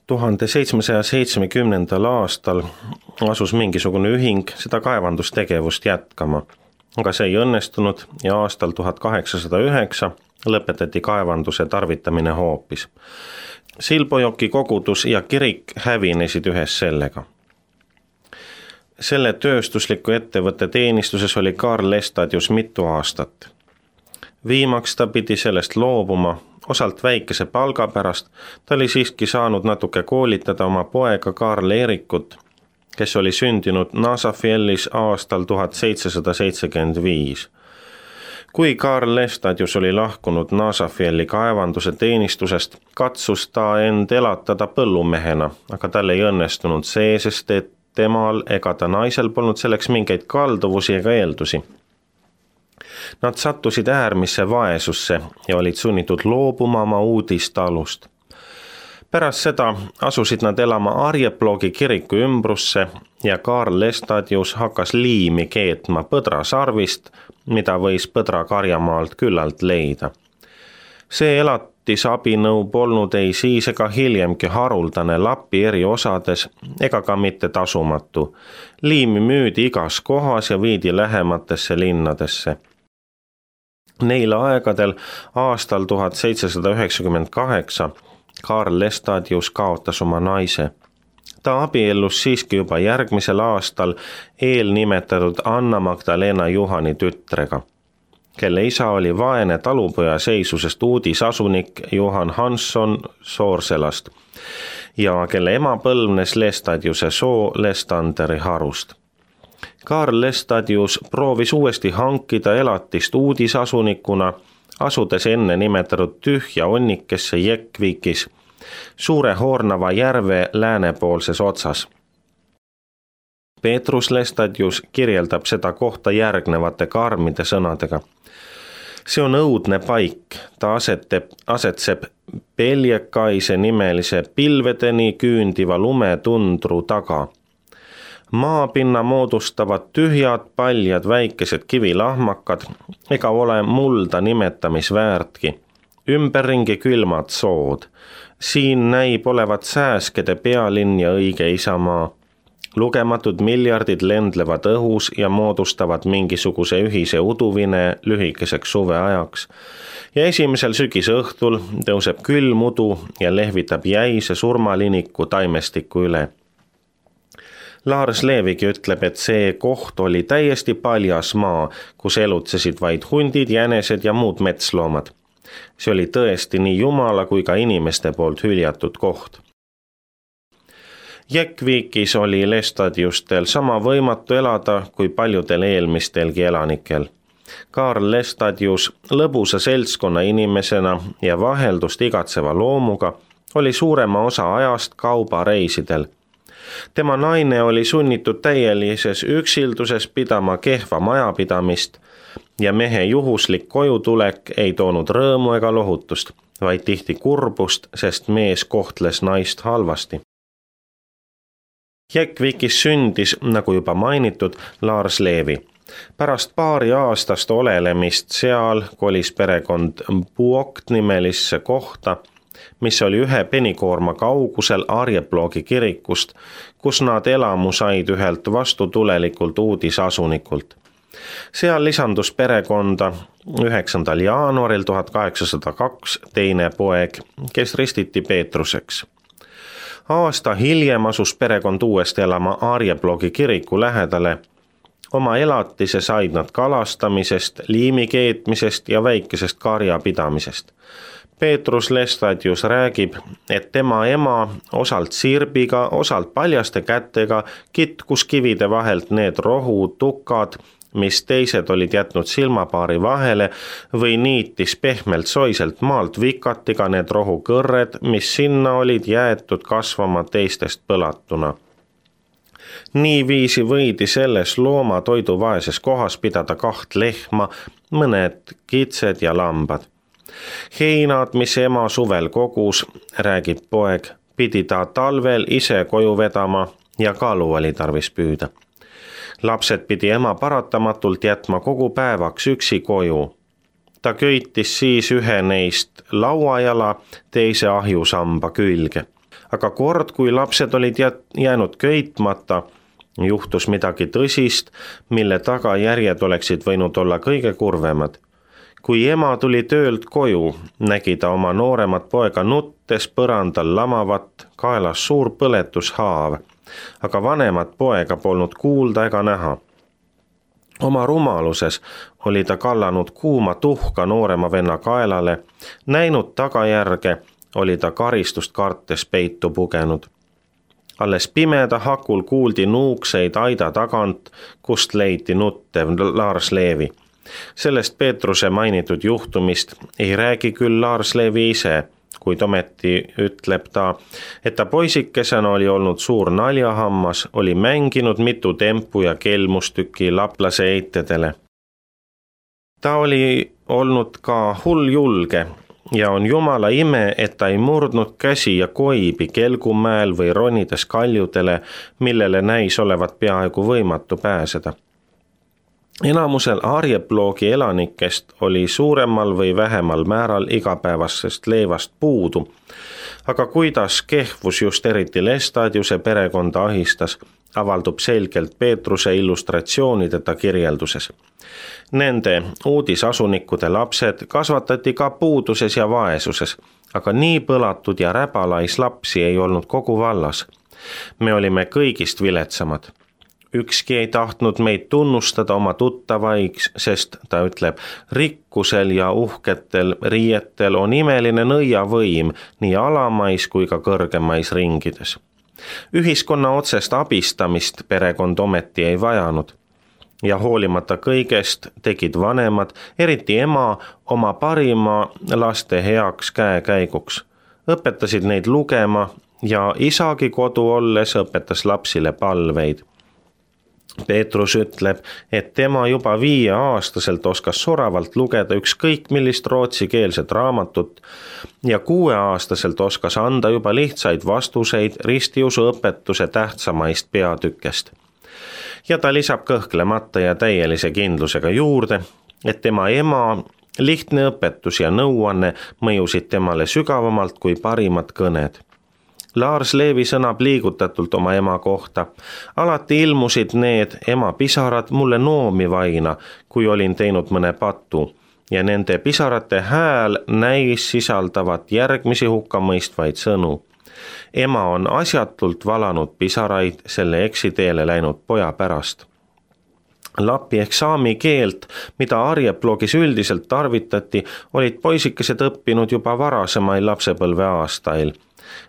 1770. aastal asus mingisugune ühing seda kaevandustegevust jätkama, aga see ei õnnestunud ja aastal 1809 lõpetati kaevanduse tarvitamine hoopis. Silbojoki kogudus ja kirik hävinesid ühes sellega. Selle tööstusliku ettevõtte teenistuses oli Karl Lestadius mitu aastat. Viimaks ta pidi sellest loobuma, osalt väikese palga pärast, ta oli siiski saanud natuke koolitada oma poega Karl Erikut, kes oli sündinud Nasafellis aastal 1775. Kui Karl Lestadius oli lahkunud Nasafelli kaevanduse teenistusest, katsus ta end elatada põllumehena, aga tal ei õnnestunud see, sest et temal ega ta naisel polnud selleks mingeid kalduvusi ega eeldusi. Nad sattusid äärmisse vaesusse ja olid sunnitud loobuma oma uudistalust. Pärast seda asusid nad elama Arjeplogi kiriku ümbrusse ja Karl Lestadius hakkas liimi keetma põdrasarvist, mida võis Põdra karjamaalt küllalt leida. See elatisabinõu polnud ei siis ega hiljemgi haruldane Lapi eri osades ega ka mitte tasumatu. Liimi müüdi igas kohas ja viidi lähematesse linnadesse. Neil aegadel aastal 1798 Karl Lestadius kaotas oma naise. Ta abiellus siiski juba järgmisel aastal eelnimetatud Anna Magdalena Juhani tütrega, kelle isa oli vaene talupoja seisusest uudisasunik Johan Hansson Soorselast ja kelle ema põlvnes Lestadiuse soo Lestanderi harust. Karl Lestadius proovis uuesti hankida elatist uudisasunikuna, asudes enne nimetatud tühja onnikesse Jekvikis, Suure Hornava järve läänepoolses otsas. Peetrus Lestadius kirjeldab seda kohta järgnevate karmide sõnadega. See on õudne paik, ta asetseb Peljekaise nimelise pilvedeni küündiva lumetundru taga. Maapinna moodustavad tühjad, paljad väikesed kivilahmakad ega ole mulda nimetamisväärtki. Ümberringi külmad sood. Siin näib olevat sääskede pealinn ja õige isamaa. Lugematud miljardid lendlevad õhus ja moodustavad mingisuguse ühise uduvine lühikeseks suveajaks. Ja esimesel sügisõhtul tõuseb külm udu ja lehvitab jäise surmaliniku taimestiku üle. Lars Levigi ütleb, et see koht oli täiesti paljas maa, kus elutsesid vaid hundid, jänesed ja muud metsloomad. See oli tõesti nii jumala kui ka inimeste poolt hüljatud koht. Jekvikis oli Lestadiustel sama võimatu elada kui paljudel eelmistelgi elanikel. Karl Lestadius lõbusa seltskonna inimesena ja vaheldust igatseva loomuga oli suurema osa ajast kaubareisidel. Tema naine oli sunnitud täielises üksilduses pidama kehva majapidamist ja mehe juhuslik kojutulek ei toonud rõõmu ega lohutust, vaid tihti kurbust, sest mees kohtles naist halvasti. Jekvikis sündis, nagu juba mainitud, Lars Levi. Pärast paari aastast olelemist seal kolis perekond Puokt nimelisse kohta, mis oli ühe penikoorma kaugusel Arjeplogi kirikust, kus nad elamu said ühelt vastutulelikult uudisasunikult. Seal lisandus perekonda 9. jaanuaril 1802 teine poeg, kes ristiti Peetruseks. Aasta hiljem asus perekond uuesti elama Arjeplogi kiriku lähedale. Oma elatise said nad kalastamisest, liimi keetmisest ja väikesest karjapidamisest. Peetrus Lestadius räägib, et tema ema osalt sirbiga, osalt paljaste kätega kitkus kivide vahelt need rohutukad, mis teised olid jätnud silmapaari vahele või niitis pehmelt soiselt maalt vikatiga need rohukõrred, mis sinna olid jäetud kasvama teistest põlatuna. Niiviisi võidi selles looma toiduvaeses kohas pidada 2 lehma, mõned kitsed ja lambad. Heinad, mis ema suvel kogus, räägib poeg, pidi ta talvel ise koju vedama ja kalu oli tarvis püüda. Lapsed pidi ema paratamatult jätma kogu päevaks üksi koju. Ta köitis siis ühe neist lauajala, teise ahjusamba külge. aga kord, kui lapsed olid jäänud köitmata, juhtus midagi tõsist, mille tagajärjed oleksid võinud olla kõige kurvemad. Kui ema tuli töölt koju, nägi ta oma nooremat poega nuttes põrandal lamavat, kaelas suur põletushaav, aga vanemat poega polnud kuulda ega näha. Oma rumaluses oli ta kallanud kuuma tuhka noorema venna kaelale, näinud tagajärge, oli ta karistust kartes peitu pugenud. Alles pimeda hakul kuuldi nuukseid aida tagant, kust leiti nuttev Lars Levi. Sellest Peetruse mainitud juhtumist ei räägi küll Lars Levi ise, kuid ometi ütleb ta, et ta poisikesena oli olnud suur naljahammas, oli mänginud mitu tempu ja kelmustükki laplase eitedele. Ta oli olnud ka hulljulge ja on jumala ime, et ta ei murdnud käsi ja koibi Kelgumäel või ronides kaljudele, millele näis olevat peaaegu võimatu pääseda. Enamusel Arjeploogi elanikest oli suuremal või vähemal määral igapäevasest leivast puudu, aga kuidas kehvus just eriti Lestadiuse perekonda ahistas, avaldub selgelt Peetruse illustratsioonideta kirjelduses. Nende uudisasunikude lapsed kasvatati ka puuduses ja vaesuses, aga nii põlatud ja räbalais lapsi ei olnud kogu vallas. Me olime kõigist viletsamad. Ükski ei tahtnud meid tunnustada oma tuttavaiks, sest ta ütleb, rikkusel ja uhketel riietel on imeline nõiavõim nii alamais kui ka kõrgemais ringides. Ühiskonna otsest abistamist perekond ometi ei vajanud. Ja hoolimata kõigest tegid vanemad, eriti ema, oma parima laste heaks käekäiguks. Õpetasid neid lugema ja isagi kodu olles õpetas lapsile palveid. Peetrus ütleb, et tema juba 5-aastaselt oskas soravalt lugeda ükskõik millist rootsikeelset raamatut ja 6-aastaselt oskas anda juba lihtsaid vastuseid ristiusuõpetuse tähtsamaist peatükest. Ja ta lisab kõhklemata ja täielise kindlusega juurde, et tema ema lihtne õpetus ja nõuanne mõjusid temale sügavamalt kui parimad kõned. Lars Levi sõnab liigutatult oma ema kohta. Alati ilmusid need ema pisarad mulle noomi vaina, kui olin teinud mõne patu, ja nende pisarate hääl näis sisaldavat järgmisi hukkamõistvaid sõnu. Ema on asjatult valanud pisaraid selle eksiteele läinud poja pärast. Lapi ehk saami keelt, mida Arjeploogis üldiselt tarvitati, olid poisikesed õppinud juba varasemail lapsepõlve aastail.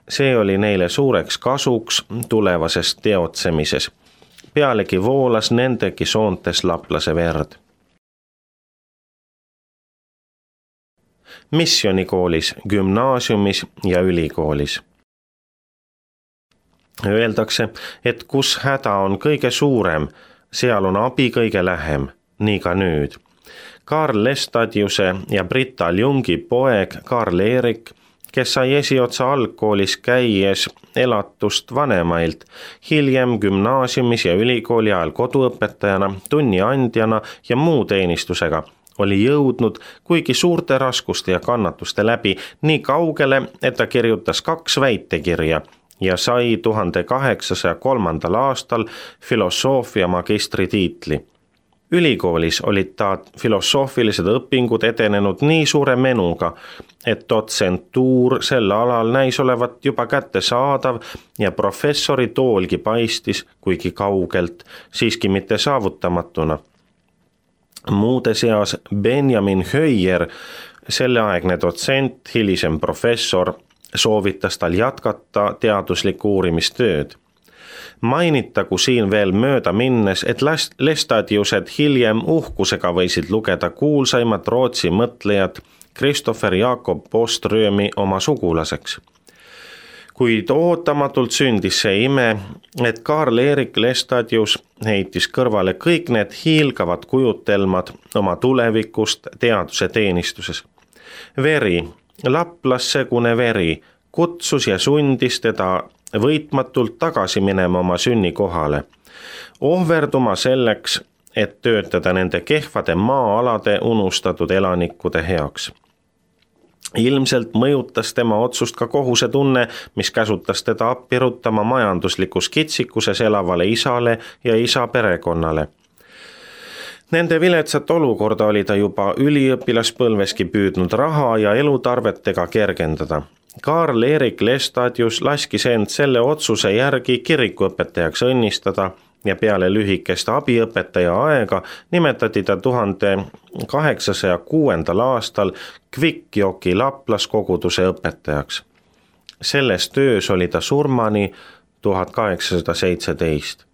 See oli neile suureks kasuks tulevases teotsemises. Pealegi voolas nendegi soontes laplase verd. Missionikoolis, gümnaasiumis ja ülikoolis. Öeldakse, et kus häda on kõige suurem, seal on abi kõige lähem, nii ka nüüd. Karl Lestadiuse ja Britta Ljungi poeg Karl Erik, kes sai esiotsa algkoolis käies elatust vanemailt, hiljem gümnaasiumis ja ülikooli ajal koduõpetajana, tunniandjana ja muu teenistusega, oli jõudnud kuigi suurte raskuste ja kannatuste läbi nii kaugele, et ta kirjutas 2 väitekirja ja sai 1803. aastal filosoofia magistritiitli. Ülikoolis olid ta filosoofilised õpingud edenenud nii suure menuga, et dotsentuur sel alal näis olevat juba kättesaadav ja professori toolgi paistis, kuigi kaugelt, siiski mitte saavutamatuna. Muude seas Benjamin Höier, selleaegne dotsent, hilisem professor, soovitas tal jätkata teaduslikku uurimistööd. Mainitagu siin veel mööda minnes, et Lestadiused hiljem uhkusega võisid lugeda kuulsaimat Rootsi mõtlejat Christopher Jakob Boströmi oma sugulaseks. Kuid ootamatult sündis see ime, et Karl Erik Lestadius heitis kõrvale kõik need hiilgavad kujutelmad oma tulevikust teaduse teenistuses. Veri, laplassegune veri, kutsus ja sundis teda võitmatult tagasi minema oma sünnikohale, ohverduma selleks, et töötada nende kehvade maa-alade unustatud elanikkude heaks. Ilmselt mõjutas tema otsust ka kohusetunne, mis käsutas teda appi ruttama majanduslikus kitsikuses elavale isale ja isa perekonnale. Nende viletsat olukorda oli ta juba üliõpilaspõlveski püüdnud raha ja elutarvetega kergendada. Karl-Erik Lestadius laskis end selle otsuse järgi kirikuõpetajaks õnnistada ja peale lühikest abiõpetaja aega nimetati ta 1806. aastal Kvikkjoki Laplas koguduse õpetajaks. Selles töös oli ta surmani 1817.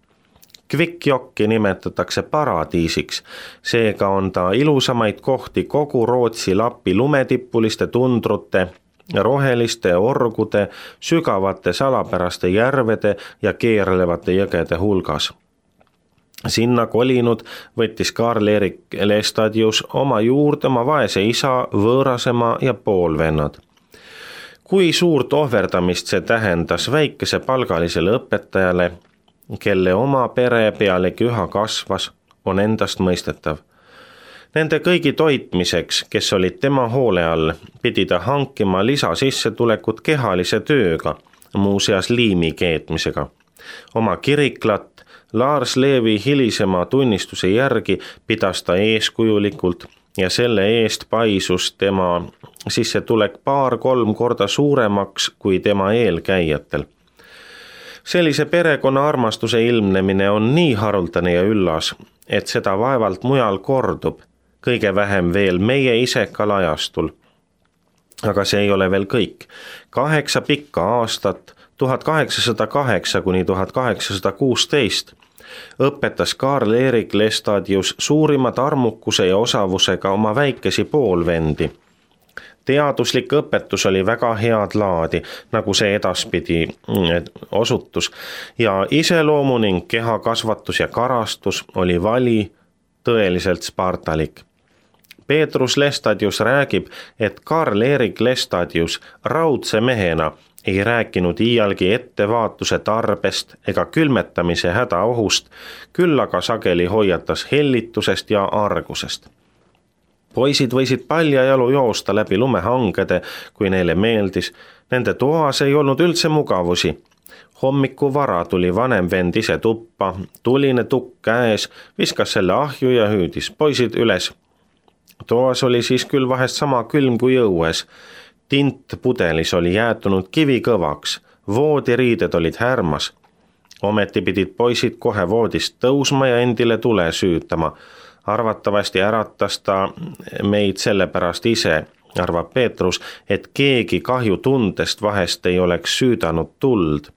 Kvikkjokki nimetatakse paradiisiks, seega on ta ilusamaid kohti kogu Rootsi Lappi lumetippuliste tundrute, roheliste orgude, sügavate salapäraste järvede ja keerlevate jõgede hulgas. Sinna kolinud võttis Karl-Erik Lestadius oma juurde oma vaese isa, võõrasema ja poolvennad. Kui suurt ohverdamist see tähendas väikese palgalisele õpetajale, kelle oma pere pealegi üha kasvas, on endast mõistetav. Nende kõigi toitmiseks, kes olid tema hoole all, pidi ta hankima lisasissetulekut kehalise tööga, muuseas liimi keetmisega. Oma kiriklat Lars Levi hilisema tunnistuse järgi pidas ta eeskujulikult ja selle eest paisus tema sissetulek 2-3 korda suuremaks kui tema eelkäijatel. Sellise perekonna armastuse ilmnemine on nii haruldane ja üllas, et seda vaevalt mujal kordub, kõige vähem veel meie isekal ajastul. Aga see ei ole veel kõik. 8 pikka aastat, 1808 kuni 1816, õpetas Karl-Erik Lestadius suurimat armukuse ja osavusega oma väikesi poolvendi. Teaduslik õpetus oli väga head laadi, nagu see edaspidi osutus, ja iseloomu ning kehakasvatus ja karastus oli vali, tõeliselt spartalik. Peetrus Lestadius räägib, et Karl-Erik Lestadius raudse mehena ei rääkinud iialgi ettevaatuse tarbest ega külmetamise hädaohust, küll aga sageli hoiatas hellitusest ja argusest. Poisid võisid paljajalu joosta läbi lumehangede, kui neile meeldis. Nende toas ei olnud üldse mugavusi. Hommiku vara tuli vanem vend ise tuppa, tuline tukk käes, viskas selle ahju ja hüüdis poisid üles. Toas oli siis küll vahest sama külm kui õues. Tint pudelis oli jäätunud kivikõvaks, voodiriided olid härmas. Ometi pidid poisid kohe voodist tõusma ja endile tule süütama. Arvatavasti äratas ta meid sellepärast ise, arvab Peetrus, et keegi kahjutundest vahest ei oleks süüdanud tuld.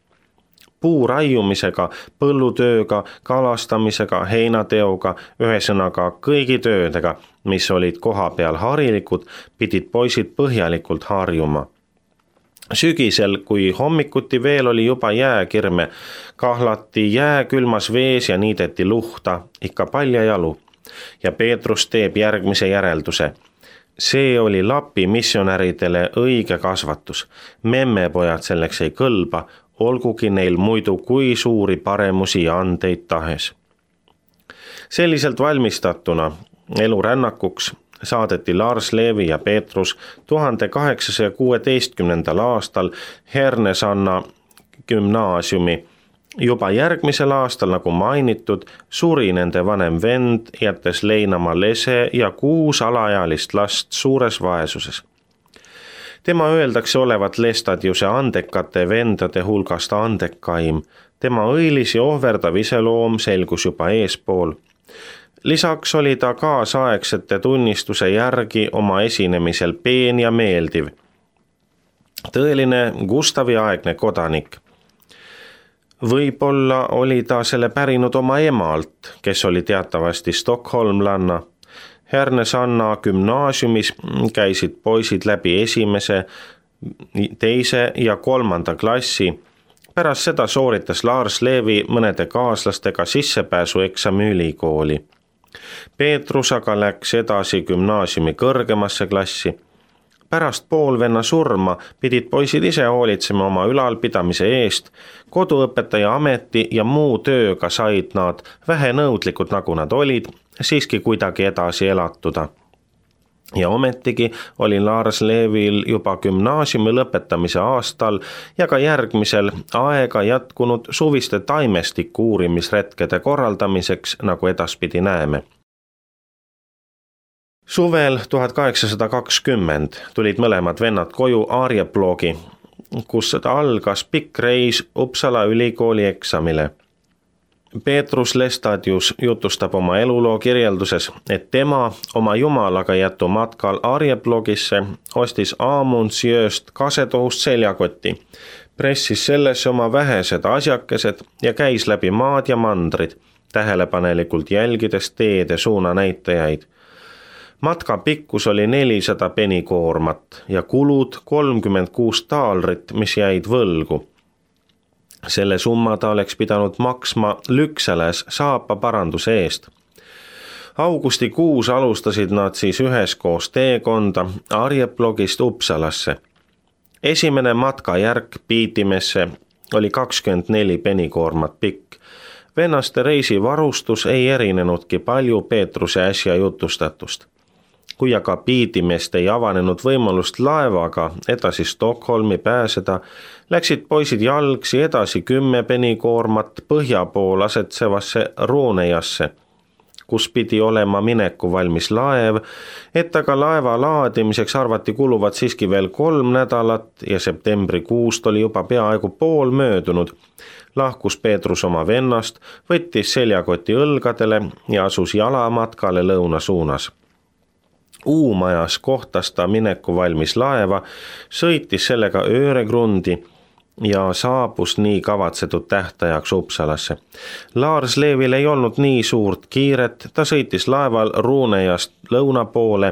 Puuraiumisega, põllutööga, kalastamisega, heinateoga, ühesõnaga kõigi töödega, mis olid koha peal harilikud, pidid poisid põhjalikult harjuma. Sügisel, kui hommikuti veel oli juba jääkirme, kahlati jääkülmas vees ja niideti luhta, ikka paljajalu. Ja Peetrus teeb järgmise järelduse. See oli Lapi missionäridele õige kasvatus. Memmepojad selleks ei kõlba, olgugi neil muidu kui suuri paremusi ja andeid tahes. Selliselt valmistatuna elurännakuks saadeti Lars Levi ja Peetrus 1816. aastal Härnösanna gümnaasiumi. Juba järgmisel aastal, nagu mainitud, suri nende vanem vend, jättes leinama lese ja 6 alaealist last suures vaesuses. Tema öeldakse olevat Lestadiuse andekate vendade hulgast andekaim. Tema õilis ja ohverdav iseloom selgus juba eespool. Lisaks oli ta kaasaegsete tunnistuse järgi oma esinemisel peen ja meeldiv. Tõeline Gustavi-aegne kodanik. Võib-olla oli ta selle pärinud oma emalt, kes oli teatavasti stockholmlanna. Härnösanna gümnaasiumis käisid poisid läbi 1., 2. ja 3. klassi. Pärast seda sooritas Lars Levi mõnede kaaslastega sissepääsueksami ülikooli. Peetrus aga läks edasi gümnaasiumi kõrgemasse klassi. Pärast poolvenna surma pidid poisid ise hoolitsema oma ülalpidamise eest. Koduõpetaja ameti ja muu tööga said nad vähenõudlikud, nagu nad olid, siiski kuidagi edasi elatuda. Ja ometigi oli Lars Levil juba gümnaasiumi lõpetamise aastal ja ka järgmisel aega jätkunud suviste taimestiku uurimisretkede korraldamiseks, nagu edaspidi näeme. Suvel 1820 tulid mõlemad vennad koju Arjeplogi, kus algas pikk reis Uppsala ülikooli eksamile. Peetrus Lestadius jutustab oma eluloo kirjelduses, et tema oma jumalaga jätu matkal Arjeplogisse ostis Amundsjööst kasetohust seljakoti, pressis sellesse oma vähesed asjakesed ja käis läbi maad ja mandrid, tähelepanelikult jälgides teede suunanäitajaid. Matka pikkus oli 400 penikoormat ja kulud 36 taalrit, mis jäid võlgu. Selle summa ta oleks pidanud maksma Lükseles saapa paranduse eest. Augustikuus alustasid nad siis üheskoos teekonda Arjeplogist Uppsalasse. Esimene matkajärk Piitimesse oli 24 penikoormat pikk. Vennaste reisivarustus ei erinenudki palju Peetruse äsja jutustatust. Kui aga Piitimest ei avanenud võimalust laevaga edasi Stockholmi pääseda, läksid poisid jalgsi edasi 10 penikoormat põhja pool asetsevasse Ruunejasse, kus pidi olema mineku valmis laev, et aga laeva laadimiseks arvati kuluvat siiski veel 3 nädalat ja septembrikuust oli juba peaaegu pool möödunud. Lahkus Peetrus oma vennast, võttis seljakoti õlgadele ja asus jalamatkale lõuna suunas. Uumajas kohtas ta mineku valmis laeva, sõitis sellega Öregrundi ja saabus nii kavatsetud tähtajaks Uppsalasse. Lars Levil ei olnud nii suurt kiiret, ta sõitis laeval Ruunejast lõuna poole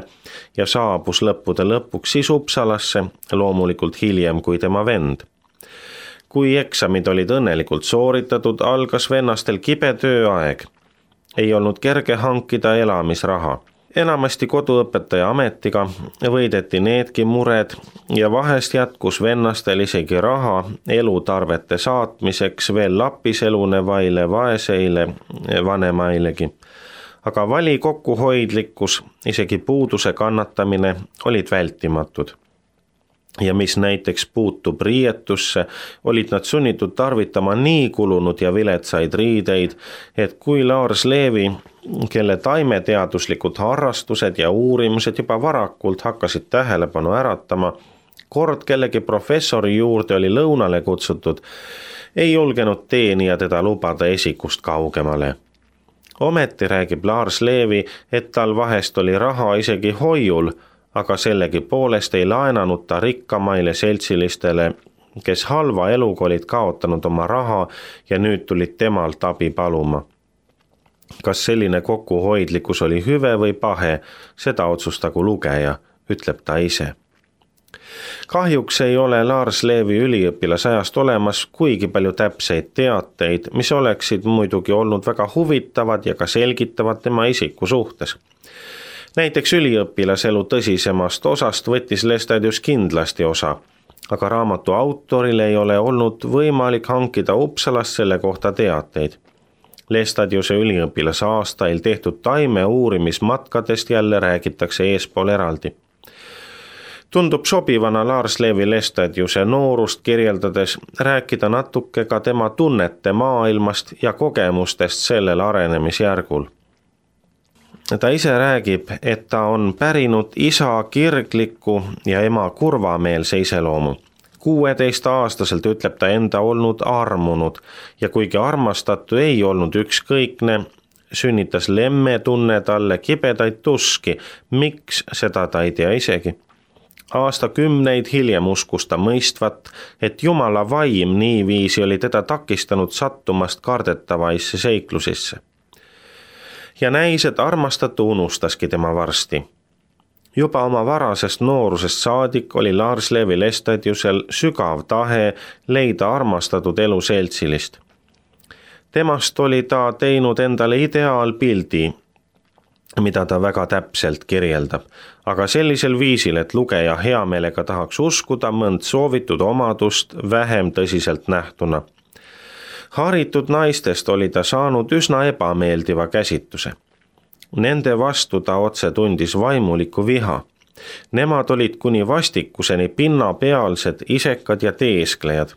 ja saabus lõppude lõpuks siis Uppsalasse, loomulikult hiljem kui tema vend. Kui eksamid olid õnnelikult sooritatud, algas vennastel kibe tööaeg. Ei olnud kerge hankida elamisraha. Enamasti koduõpetaja ametiga võideti needki mured ja vahest jätkus vennastel isegi raha elutarvete saatmiseks veel Lapis elunevaile vaeseile vanemailegi. Aga vali kokkuhoidlikkus, isegi puuduse kannatamine olid vältimatud. Ja mis näiteks puutub riietusse, olid nad sunnitud tarvitama nii kulunud ja viletsaid riideid, et kui Lars Levi, kelle taimeteaduslikud harrastused ja uurimused juba varakult hakkasid tähelepanu äratama, kord kellegi professori juurde oli lõunale kutsutud, ei julgenud teenija teda lubada esikust kaugemale. Ometi räägib Lars Levi, et tal vahest oli raha isegi hoiul, aga sellegi poolest ei laenanud ta rikkamaile seltsilistele, kes halva eluga olid kaotanud oma raha ja nüüd tulid temalt abi paluma. Kas selline kokkuhoidlikkus oli hüve või pahe, seda otsustagu lugeja, ütleb ta ise. Kahjuks ei ole Lars Levi üliõpilasajast olemas kuigi palju täpseid teateid, mis oleksid muidugi olnud väga huvitavad ja ka selgitavad tema isiku suhtes. Näiteks üliõpilaselu tõsisemast osast võttis Lestadius kindlasti osa, aga raamatu autoril ei ole olnud võimalik hankida Uppsalast selle kohta teateid. Lestadiuse üliõpilase aastail tehtud taime uurimismatkadest jälle räägitakse eespool eraldi. Tundub sobivana Lars Levi Lestadiuse noorust kirjeldades rääkida natuke ka tema tunnete maailmast ja kogemustest sellel arenemisjärgul. Ta ise räägib, et ta on pärinud isa kirgliku ja ema kurvameelse iseloomu. 16-aastaselt ütleb ta enda olnud armunud ja kuigi armastatu ei olnud ükskõikne, sünnitas lemme tunne talle kibedaid tuski, miks seda ta ei tea isegi. Aastakümneid hiljem uskus ta mõistvat, et Jumala vaim niiviisi oli teda takistanud sattumast kardetavaisse seiklusisse. Ja näis, et armastatu unustaski tema varsti. Juba oma varasest noorusest saadik oli Lars Levi Lestadiusel sügav tahe leida armastatud elu seltsilist. Temast oli ta teinud endale ideaalpildi, mida ta väga täpselt kirjeldab, aga sellisel viisil, et lugeja heameelega tahaks uskuda mõnd soovitud omadust vähem tõsiselt nähtuna. Haritud naistest oli ta saanud üsna ebameeldiva käsituse. Nende vastu ta otse tundis vaimulikku viha. Nemad olid kuni vastikuseni pinnapealsed isekad ja teesklejad.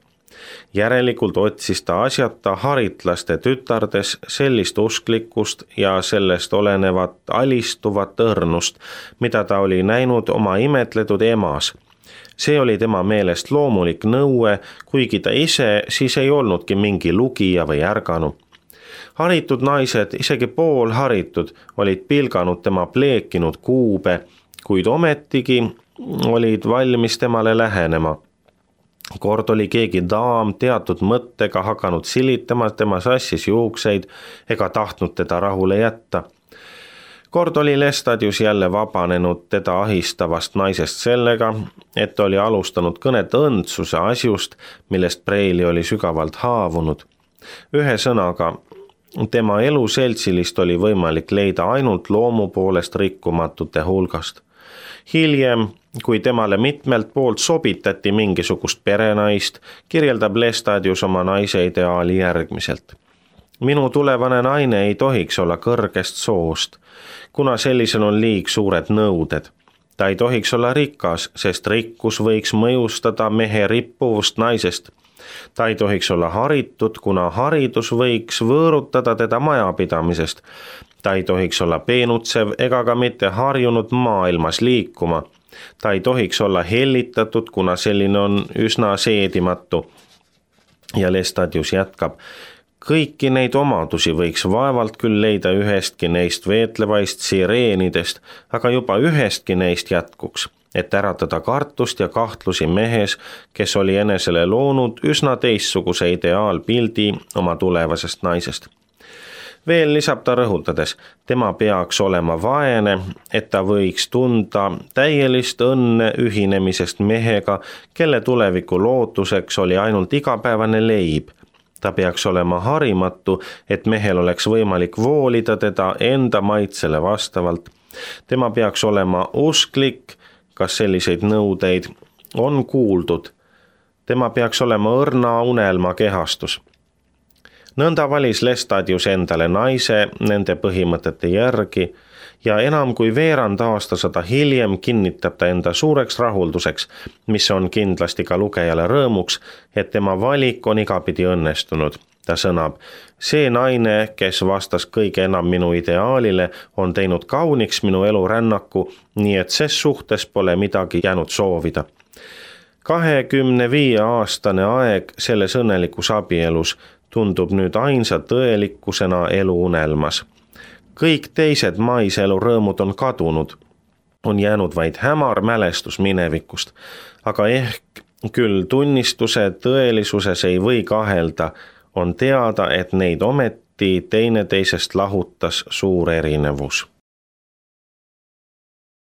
Järelikult otsis ta asjata haritlaste tütardes sellist usklikkust ja sellest olenevat alistuvat õrnust, mida ta oli näinud oma imetletud emas. See oli tema meelest loomulik nõue, kuigi ta ise siis ei olnudki mingi lugija või ärganu. Haritud naised, isegi poolharitud, olid pilganud tema pleekinud kuube, kuid ometigi olid valmis temale lähenema. Kord oli keegi daam teatud mõttega hakanud silitama tema sassis juukseid ega tahtnud teda rahule jätta. Kord oli Lestadius jälle vabanenud teda ahistavast naisest sellega, et oli alustanud kõnet õndsuse asjust, millest Preili oli sügavalt haavunud. Ühe sõnaga, tema eluseltsilist oli võimalik leida ainult loomu poolest rikkumatute hulgast. Hiljem, kui temale mitmelt poolt sobitati mingisugust perenaist, kirjeldab Lestadius oma naise ideaali järgmiselt. Minu tulevane naine ei tohiks olla kõrgest soost, kuna sellisel on liig suured nõuded. Ta ei tohiks olla rikas, sest rikkus võiks mõjustada mehe rippuvust naisest. Ta ei tohiks olla haritud, kuna haridus võiks võõrutada teda majapidamisest. Ta ei tohiks olla peenutsev ega ka mitte harjunud maailmas liikuma. Ta ei tohiks olla hellitatud, kuna selline on üsna seedimatu. Ja Lestadius jätkab. Kõiki neid omadusi võiks vaevalt küll leida ühestki neist veetlevaist sireenidest, aga juba ühestki neist jätkuks, et äratada kartust ja kahtlusi mehes, kes oli enesele loonud üsna teistsuguse ideaalpildi oma tulevasest naisest. Veel lisab ta rõhutades, tema peaks olema vaene, et ta võiks tunda täielist õnne ühinemisest mehega, kelle tuleviku lootuseks oli ainult igapäevane leib. Ta peaks olema harimatu, et mehel oleks võimalik voolida teda enda maitsele vastavalt. Tema peaks olema usklik, kas selliseid nõudeid on kuuldud. Tema peaks olema õrna unelma kehastus. Nõnda valis Lestadius endale naise nende põhimõtete järgi ja enam kui veerand aastasada hiljem kinnitab ta enda suureks rahulduseks, mis on kindlasti ka lugejale rõõmuks, et tema valik on igapidi õnnestunud. Ta sõnab, see naine, kes vastas kõige enam minu ideaalile, on teinud kauniks minu elurännaku, nii et ses suhtes pole midagi jäänud soovida. 25-aastane aeg selles õnnelikus abielus tundub nüüd ainsa tõelikkusena eluunelmas. Kõik teised maiselu rõõmud on kadunud, on jäänud vaid hämar mälestus minevikust, aga ehk küll tunnistuse tõelisuses ei või kahelda, on teada, et neid ometi teineteisest lahutas suur erinevus.